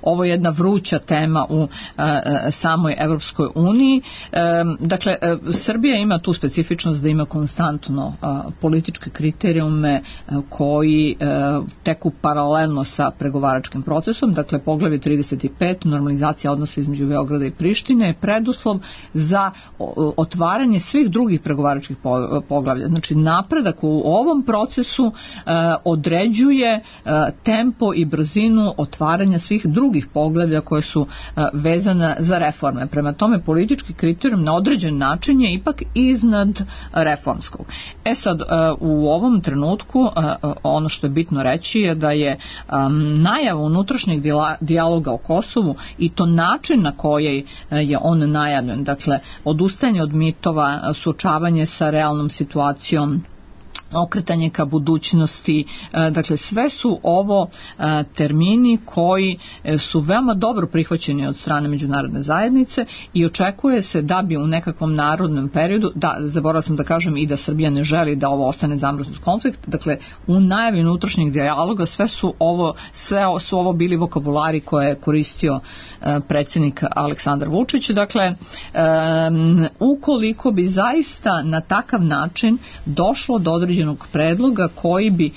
ovo je jedna vruća tema u samoj Evropskoj uniji. Dakle, Srbija ima tu specifičnost da ima konstantno političke kriterijume koji teku paralelno sa pregovaračkim procesom. Dakle, poglavlje 35, normalizacija odnosa između Beograda i Prištine, je preduslov za otvaranje svih drugih pregovaračkih poglavlja. Znači, napredak u ovom procesu određuje tempo i brzinu otvaranja svih drugih poglavlja koje su vezane za reforme. Prema tome, politički kriterijum na određen način je ipak iznad reformskog. Sad, u ovom trenutku ono što je bitno reći je da je najava unutrašnjeg dijaloga o Kosovu i to način na koji je on najavljen, dakle, odustajanje od mitova, suočavanje sa realnom situacijom, okretanje ka budućnosti, dakle sve su ovo termini koji su veoma dobro prihvaćeni od strane međunarodne zajednice i očekuje se da bi u nekakvom narodnom periodu, zaboravila sam da kažem i da Srbija ne želi da ovo ostane zamrznut konflikt, dakle u najavi unutrašnjeg dijaloga sve su ovo bili vokabulari koje je koristio predsjednik Aleksandar Vučić. Dakle, ukoliko bi zaista na takav način došlo do određenog predloga koji bi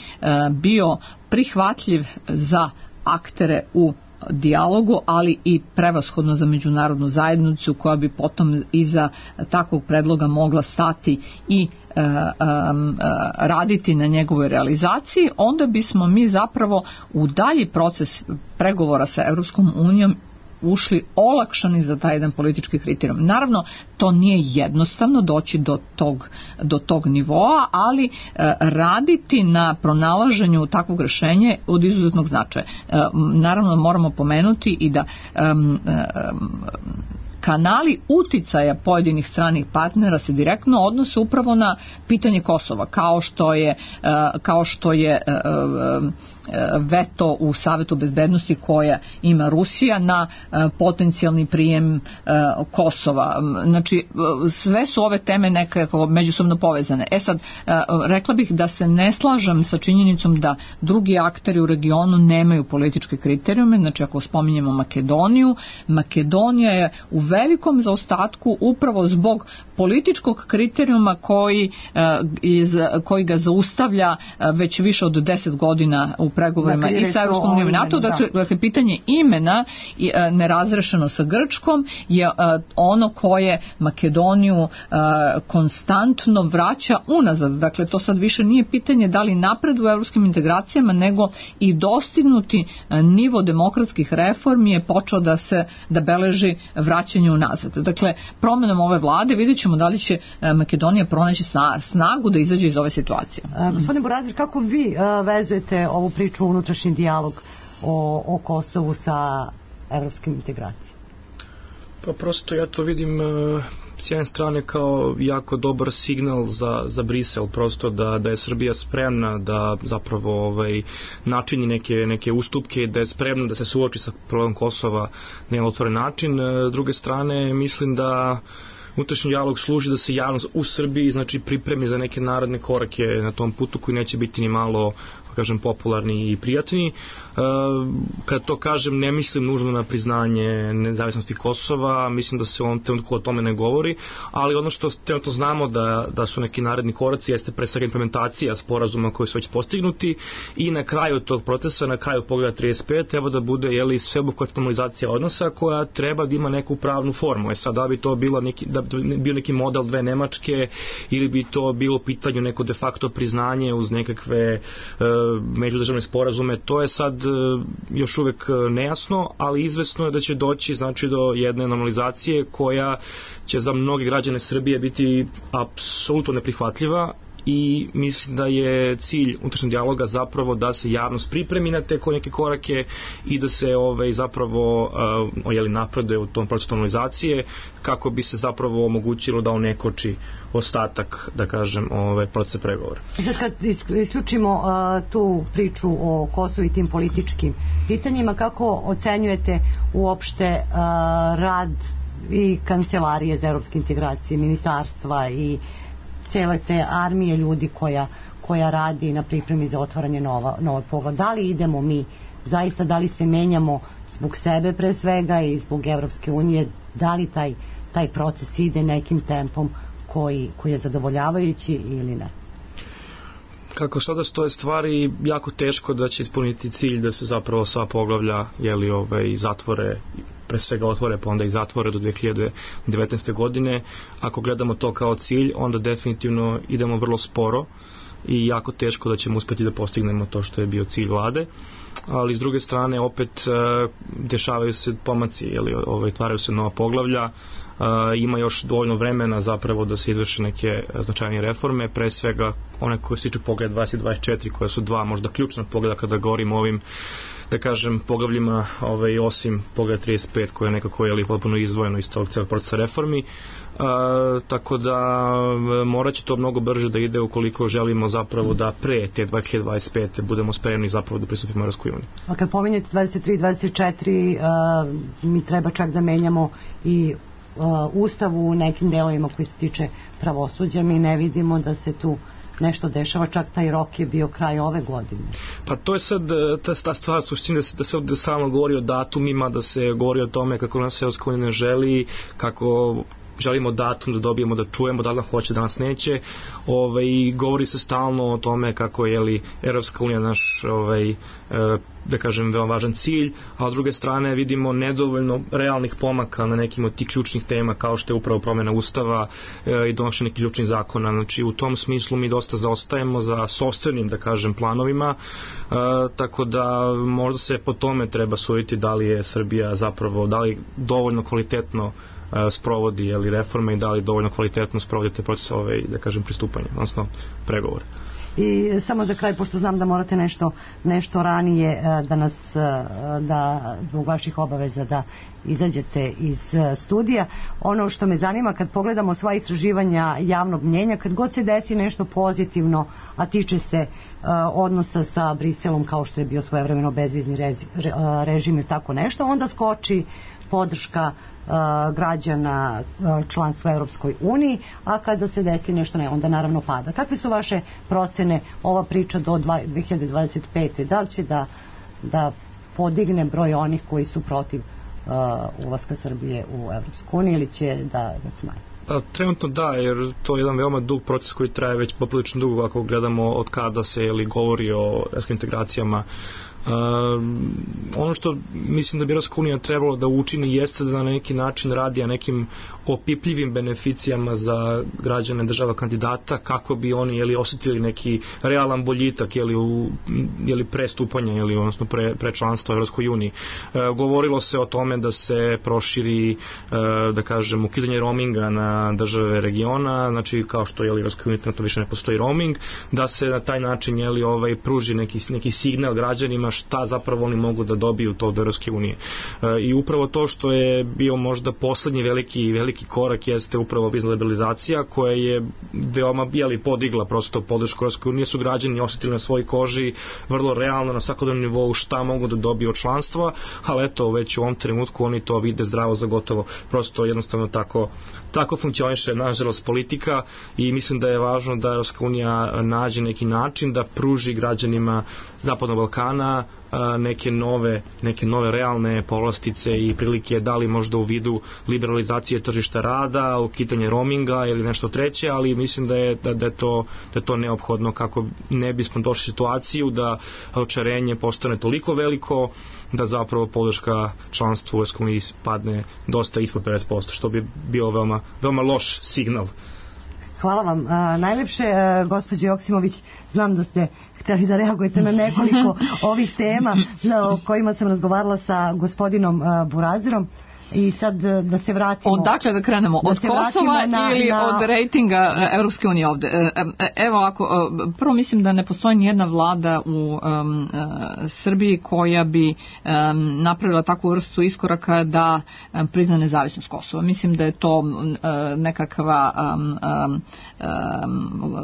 bio prihvatljiv za aktere u dijalogu, ali i prevashodno za međunarodnu zajednicu koja bi potom iza takvog predloga mogla stati i raditi na njegovoj realizaciji, onda bismo mi zapravo u dalji proces pregovora sa Europskom unijom ušli olakšani za taj jedan politički kriterijum. Naravno, to nije jednostavno doći do tog nivoa, ali raditi na pronalaženju takvog rješenja od izuzetnog značaja. Naravno, moramo pomenuti i da kanali uticaja pojedinih stranih partnera se direktno odnose upravo na pitanje Kosova, kao što je veto u Savetu bezbednosti koja ima Rusija na potencijalni prijem Kosova. Znači, sve su ove teme nekako međusobno povezane. Sad, rekla bih da se ne slažem sa činjenicom da drugi akteri u regionu nemaju političke kriterijume. Znači, ako spominjemo Makedoniju, Makedonija je u velikom zaostatku upravo zbog političkog kriterijuma koji ga zaustavlja već više od 10 godina u pregovorima i sa Evropskom unijom i NATO. Dakle, pitanje imena nerazrešeno sa Grčkom je ono koje Makedoniju konstantno vraća unazad. Dakle, to sad više nije pitanje da li napred u evropskim integracijama, nego i dostignuti nivo demokratskih reformi je počeo da beleži vraćanje unazad. Dakle, promjenom ove vlade vidjet ćemo da li će Makedonija pronaći snagu da izađe iz ove situacije. Gospodin Burazir, kako vi vezujete ovu priču unutrašnji dijalog o Kosovu sa evropskim integracijama? Pa prosto ja to vidim s jedne strane kao jako dobar signal za Brisel, prosto da je Srbija spremna da zapravo načini neke ustupke, da je spremna da se suoči sa problemom Kosova na jedan otvoren način. S druge strane, mislim da unutrašnji dijalog služi da se javnost u Srbiji pripremi za neke narodne korake na tom putu koji neće biti ni malo kažem, popularni i prijatni. Kad to kažem, ne mislim nužno na priznanje nezavisnosti Kosova, mislim da se u ovom trenutku o tome ne govori, ali ono što trenutno znamo da su neki naredni koraci jeste pre svega implementacija sporazuma koji su već postignuti i na kraju tog procesa, na kraju Poglavlja 35 treba da bude sveobuhvatna normalizacija odnosa koja treba da ima neku pravnu formu. Sad da bi to bio neki model dve Nemačke ili bi to bilo pitanju neko de facto priznanje uz nekakve međudržavne sporazume, to je sad još uvek nejasno, ali izvesno je da će doći znači do jedne normalizacije koja će za mnoge građane Srbije biti apsolutno neprihvatljiva i mislim da je cilj unutrašnjeg dijaloga zapravo da se javnost pripremi na te neke korake i da se zapravo napreduje u tom procesu normalizacije kako bi se zapravo omogućilo da on ne koči ostatak, da kažem, procesa pregovora. Kad isključimo tu priču o Kosovu i tim političkim pitanjima, kako ocenjujete uopšte rad i kancelarije za evropske integracije, ministarstva i cijele te armije ljudi koja radi na pripremi za otvaranje novog poglavlja? Da li idemo mi zaista, da li se menjamo zbog sebe pre svega i zbog Evropske unije, da li taj proces ide nekim tempom koji je zadovoljavajući ili ne? Kako sada stoje stvari, jako teško da će ispuniti cilj da se zapravo sva poglavlja zatvore, pre svega otvore pa onda i zatvore do 2019. godine. Ako gledamo to kao cilj, onda definitivno idemo vrlo sporo i jako teško da ćemo uspjeti da postignemo to što je bio cilj vlade, ali s druge strane opet dešavaju se pomaci, otvaraju se nova poglavlja, ima još dovoljno vremena zapravo da se izvrše neke značajnije reforme, pre svega one koje se tiču Poglavlja 2024, koje su dva možda ključna pogleda kada govorimo o ovim, da kažem, poglavljima, osim Poglavlja 35 koje je nekako potpuno izdvojeno iz tog celog procesa reformi, tako da morat će to mnogo brže da ide ukoliko želimo zapravo da pre te 2025. budemo spremni zapravo da pristupimo Evropskoj uniji. A kad pominjete 23 i 24, mi treba čak da menjamo i Ustav u nekim delovima koji se tiče pravosuđa, mi ne vidimo da se tu nešto dešava, čak taj rok je bio kraj ove godine. Pa to je sad ta stvar suštine da se ovdje stalno govori o datumima, da se govori o tome kako nas Evropska unija ne želi, kako želimo datum da dobijemo, da čujemo da li hoće, da nas neće, i govori se stalno o tome kako je Evropska unija naš da kažem veoma važan cilj, a s druge strane vidimo nedovoljno realnih pomaka na nekim od tih ključnih tema kao što je upravo promjena Ustava i donošenje nekih ključnih zakona. Znači u tom smislu mi dosta zaostajemo za sopstvenim, da kažem, planovima, tako da možda se po tome treba suditi da li je Srbija zapravo, da li dovoljno kvalitetno sprovodi reforme i da li dovoljno kvalitetno sprovodi te procese da kažem pristupanja, odnosno pregovore. I samo za kraj, pošto znam da morate nešto ranije da zbog vaših obaveza da izađete iz studija, ono što me zanima kad pogledamo sva istraživanja javnog mnjenja, kad god se desi nešto pozitivno, a tiče se odnosa sa Briselom kao što je bio svojevremeno bezvizni režim ili tako nešto, onda skoči podrška građana članstva Europskoj uniji, a kada se desi nešto ne, onda naravno pada. Kakve su vaše procene, ova priča do 2025. Da li će da podigne broj onih koji su protiv ulaska Srbije u Europsku uniju ili će da smanji? Trenutno da, jer to je jedan veoma dug proces koji traje već poprilično dugo ako gledamo od kada se govori o evropskim integracijama. Ono što mislim da bi Evropska unija trebalo da učini jeste da na neki način radi na nekim opipljivim beneficijama za građane država kandidata kako bi oni osjetili neki realan boljitak prestupanja odnosno pre članstva u Evropskoj uniji. Govorilo se o tome da se proširi da kažem ukidanje roaminga na države regiona, znači kao što u Evropskoj uniji trenutno više ne postoji roaming, da se na taj način pruži neki signal građanima šta zapravo oni mogu da dobiju to od Europske unije. I upravo to što je bio možda poslednji veliki korak jeste upravo vizna liberalizacija koja je veoma podigla prosto podršku Europske unije, su građani osetili na svojoj koži vrlo realno na svakodnevnom nivou šta mogu da dobiju od članstva, ali eto već u ovom trenutku oni to vide zdravo za gotovo. Prosto jednostavno tako funkcioniše nažalost politika i mislim da je važno da Europska unija nađe neki način da pruži građanima Zapadnog Balkana neke nove realne povlastice i prilike, da li možda u vidu liberalizacije tržišta rada, ukidanje roaminga ili nešto treće, ali mislim da je to neophodno kako ne bismo došli u situaciju da očarenje postane toliko veliko da zapravo podrška članstvu u Europskoj uniji padne dosta ispod 50%, što bi bio veoma loš signal. Hvala vam najlepše, gospođo Joksimović. Znam da ste hteli da reagujete na nekoliko ovih tema o kojima sam razgovarala sa gospodinom Burazerom. I sad da se vratimo... Odakle da krenemo? Od Kosova ili od rejtinga Europske unije ovde? Evo ako, prvo mislim da ne postoji nijedna vlada u Srbiji koja bi napravila takvu vrstu iskoraka da prizna nezavisnost Kosova. Mislim da je to nekakva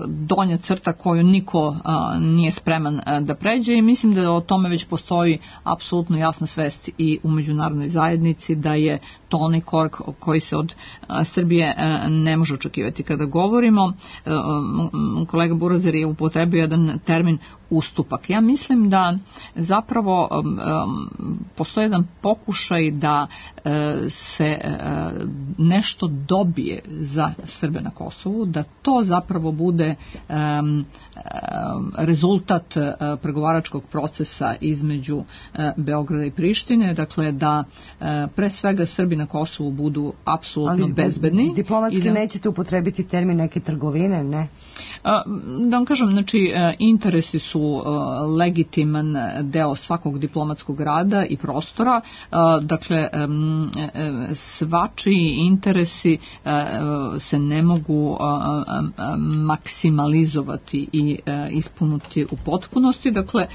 donja crta koju niko nije spreman da pređe i mislim da o tome već postoji apsolutno jasna svest i u međunarodnoj zajednici da je to onaj korak koji se od Srbije ne može očekivati. Kada govorimo, kolega Burazer je upotrebio jedan termin ustupak. Ja mislim da zapravo postoji jedan pokušaj da se nešto dobije za Srbe na Kosovu, da to zapravo bude rezultat pregovaračkog procesa između Beograda i Prištine, dakle da pre svega Srbi na Kosovu budu apsolutno bezbedni. Diplomatski nećete upotrebiti termin neke trgovine, ne? Da vam kažem, znači interesi su legitiman deo svakog diplomatskog rada i prostora, dakle svačiji interesi se ne mogu maksimalizovati i ispuniti u potpunosti, dakle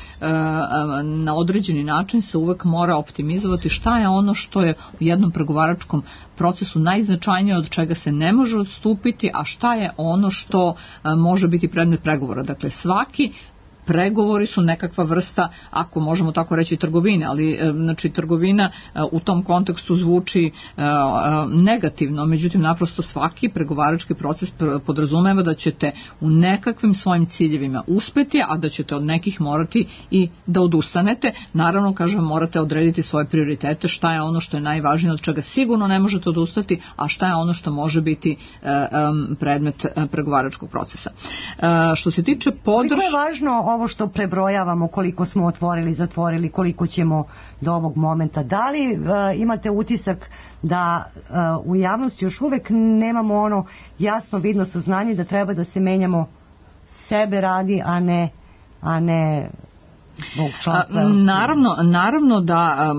na određeni način se uvek mora optimizovati šta je ono što je u jednom pregovaračkom procesu najznačajnije, od čega se ne može odstupiti, a šta je ono što može biti predmet pregovora. Dakle, svaki pregovori su nekakva vrsta, ako možemo tako reći, trgovine, ali znači trgovina u tom kontekstu zvuči negativno, međutim naprosto svaki pregovarački proces podrazumeva da ćete u nekakvim svojim ciljevima uspeti, a da ćete od nekih morati i da odustanete. Naravno, kažem, morate odrediti svoje prioritete, šta je ono što je najvažnije, od čega sigurno ne možete odustati, a šta je ono što može biti predmet pregovaračkog procesa. Što se tiče podrške... Koliko je važno ovo što prebrojavamo, koliko smo otvorili, zatvorili, koliko ćemo do ovog momenta? Da li imate utisak da u javnosti još uvek nemamo ono jasno vidno saznanje da treba da se menjamo sebe radi, a ne zbog članstva? Naravno da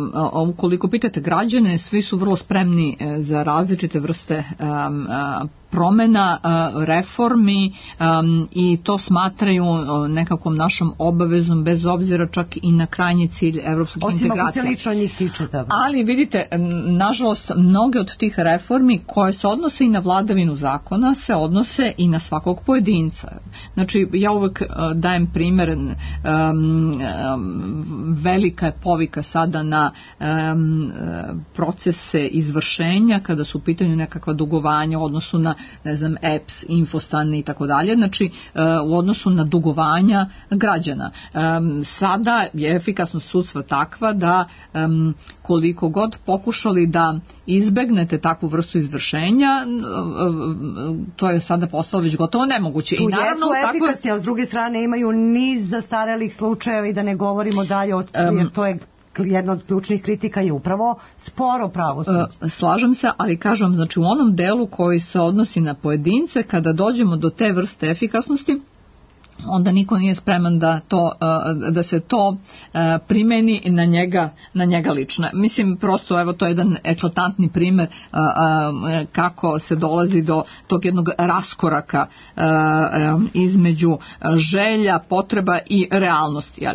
ukoliko pitate građane, svi su vrlo spremni za različite vrste promena, reformi i to smatraju nekakvom našom obavezom bez obzira čak i na krajnji cilj evropskih integracija. Osim ako se lično njih tiče. Ali vidite, nažalost, mnoge od tih reformi koje se odnose i na vladavinu zakona se odnose i na svakog pojedinca. Znači, ja uvek dajem primjer, velika je povika sada na procese izvršenja kada su u pitanju nekakva dugovanja u odnosu na EPS, Infostan i tako dalje, znači u odnosu na dugovanja građana. Sada je efikasnost sudstva takva da koliko god pokušali da izbegnete takvu vrstu izvršenja, to je sada postalo već gotovo nemoguće. Tu jesu efikasni, a s druge strane imaju niz zastarelih slučajeva i da ne govorimo dalje, jer to je jedna od ključnih kritika je upravo sporo pravosuđe. Slažem se, ali kažem, znači u onom delu koji se odnosi na pojedince, kada dođemo do te vrste efikasnosti, onda niko nije spreman da se to primeni na njega lično. Mislim, prosto, evo, to je jedan eklatantni primer kako se dolazi do tog jednog raskoraka između želja, potreba i realnosti.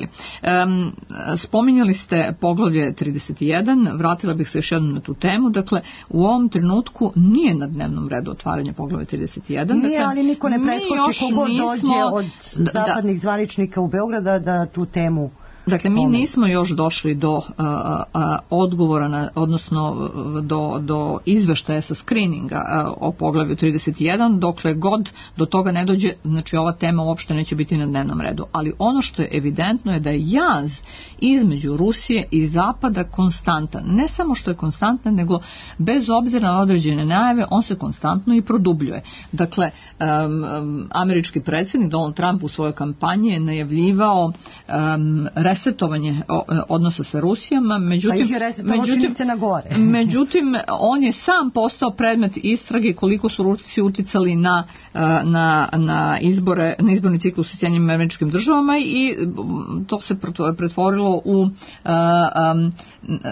Spominjali ste poglavlje 31, vratila bih se još jednom na tu temu. Dakle, u ovom trenutku nije na dnevnom redu otvaranje poglavlja 31. Nije, ali niko ne preskoči kogod dođe od zapadnih zvaničnika u Beograda da tu temu... Dakle, mi nismo još došli do odgovora, odnosno do izveštaja sa skrininga o poglavlju 31, dokle god do toga ne dođe, znači ova tema uopšte neće biti na dnevnom redu. Ali ono što je evidentno je da je jaz između Rusije i Zapada konstantan. Ne samo što je konstantan, nego bez obzira na određene najave, on se konstantno i produbljuje. Dakle, američki predsjednik Donald Trump u svojoj kampanji je najavljivao resetovanje odnosa sa Rusijom, međutim on je sam postao predmet istrage koliko su Rusi uticali na izborni ciklus u Sjedinjenim Američkim Državama i to se pretvorilo u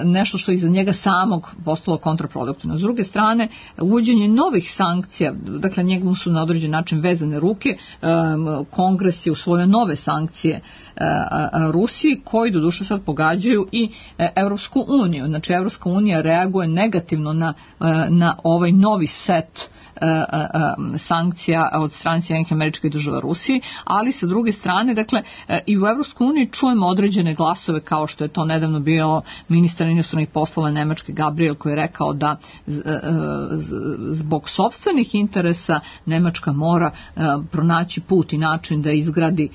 nešto što iza njega samog postalo kontraproduktivno. S druge strane, uvođenje novih sankcija, dakle njemu su na određen način vezane ruke, Kongres je usvojio nove sankcije Rusiji, koji doduše sad pogađaju i Europsku uniju. Znači, Europska unija reaguje negativno na ovaj novi set sankcija od strane Sjedinjenih Američkih Država Rusiji, ali sa druge strane, dakle, i u Evropskoj uniji čujemo određene glasove, kao što je to nedavno bio ministar inostranih poslova Nemačke Gabriel, koji je rekao da zbog sopstvenih interesa Nemačka mora pronaći put i način da izgradi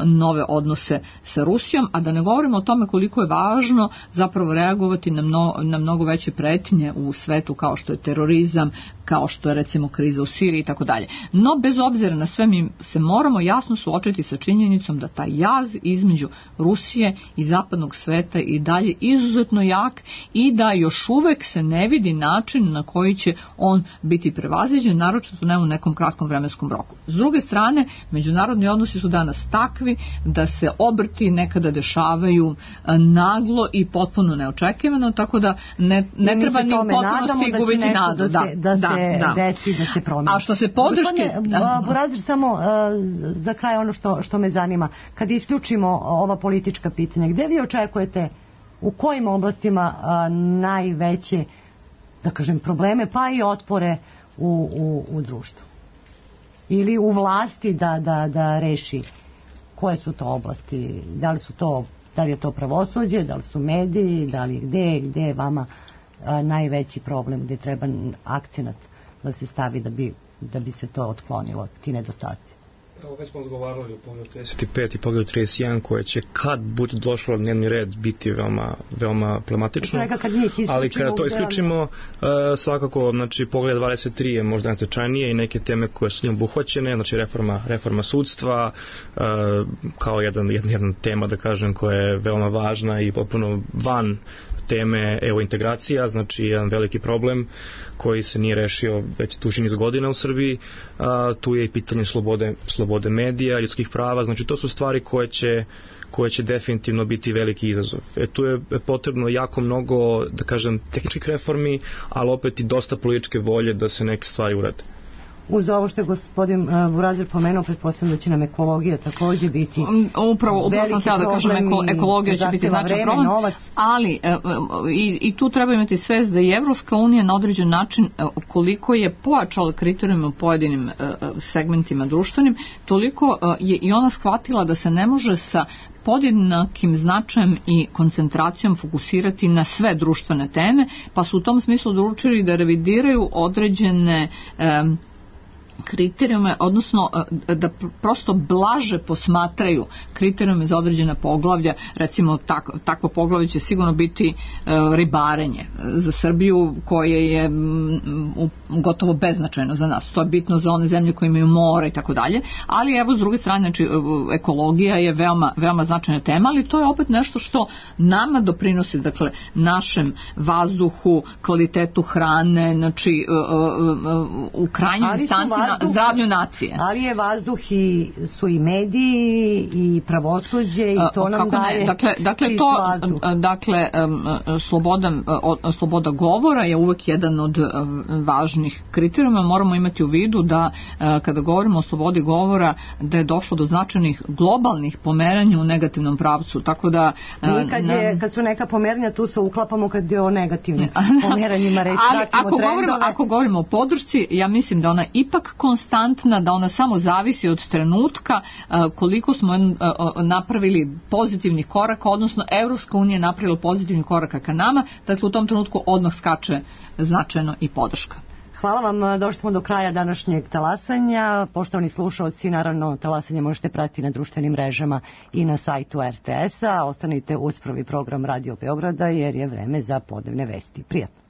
nove odnose sa Rusijom, a da ne govorimo o tome koliko je važno zapravo reagovati na mnogo veće pretnje u svetu, kao što je terorizam, kao što je recimo kriza u Siriji i tako dalje. No, bez obzira na sve, mi se moramo jasno suočiti sa činjenicom da taj jaz između Rusije i zapadnog sveta i dalje izuzetno jak i da još uvek se ne vidi način na koji će on biti prevaziđen, naročito ne u nekom kratkom vremenskom roku. S druge strane, međunarodni odnosi su danas takvi da se obrti nekada dešavaju naglo i potpuno neočekivano, tako da ne treba ni u potpunosti gubiti nadu. Da se promeni. A što se podrške... Burazir, samo za kraj ono što me zanima. Kad isključimo ova politička pitanja, gde vi očekujete, u kojim oblastima najveće, da kažem, probleme, pa i otpore u društvu? Ili u vlasti da reši koje su to oblasti? Da li je to pravosuđe, da li su mediji, da li gde je vama najveći problem, gde treba akcenat da se stavi da bi se to otklonilo, ti nedostaci? Evo, već smo razgovarali o pogledu 35 i pogledu 31 koje će kad bude došlo na dnevni red biti veoma problematično, ali kada to isključimo svakako, znači pogled 23 je možda najznačajnije i neke teme koje su njom obuhvaćene, znači reforma sudstva kao jedan tema, da kažem, koja je veoma važna i potpuno van teme integracija, znači jedan veliki problem koji se nije rešio već duži niz godina u Srbiji. Tu je i pitanje slobode medija, ljudskih prava, znači to su stvari koje će definitivno biti veliki izazov. Tu je potrebno jako mnogo, da kažem, tehničkih reformi, ali opet i dosta političke volje da se neke stvari urade. Uz ovo što je gospodin Burazir pomenuo, pretpostavljam da će nam ekologija također biti upravo sam htjela da kažem, ekologija će biti značajan problem, ali i tu treba imati svest da i Evropska unija na određen način, koliko je pojačala kriterijume u pojedinim segmentima društvenim, toliko je i ona shvatila da se ne može sa podjednakim značajem i koncentracijom fokusirati na sve društvene teme, pa su u tom smislu odlučili da revidiraju određene kriterijume, odnosno da prosto blaže posmatraju kriterijume za određena poglavlja. Recimo takvo poglavlje će sigurno biti ribarenje za Srbiju, koje je gotovo beznačajno za nas. To je bitno za one zemlje koje imaju more i tako dalje, ali evo s druge strane, znači, ekologija je veoma značajna tema, ali to je opet nešto što nama doprinosi, dakle, našem vazduhu, kvalitetu hrane, znači u krajnjoj instanci zdravlju nacije. Ali je vazduh su i mediji i pravosuđe i to nam daje čist vazduh. Dakle, sloboda govora je uvek jedan od važnih kriterijuma. Moramo imati u vidu da kada govorimo o slobodi govora da je došlo do značajnih globalnih pomeranja u negativnom pravcu. Tako da kad su neka pomeranja tu se uklapamo kad je o negativnim pomeranjima reći. Ako govorimo o podršci, ja mislim da ona ipak konstantna, da ona samo zavisi od trenutka koliko smo napravili pozitivnih koraka, odnosno Evropska unija napravila pozitivnih koraka ka nama, dakle u tom trenutku odmah skače značajno i podrška. Hvala vam, došli smo do kraja današnjeg talasanja. Poštovani slušalci, naravno talasanje možete pratiti na društvenim mrežama i na sajtu RTS-a. Ostanite uz prvi program Radio Beograda jer je vreme za podnevne vesti. Prijatno.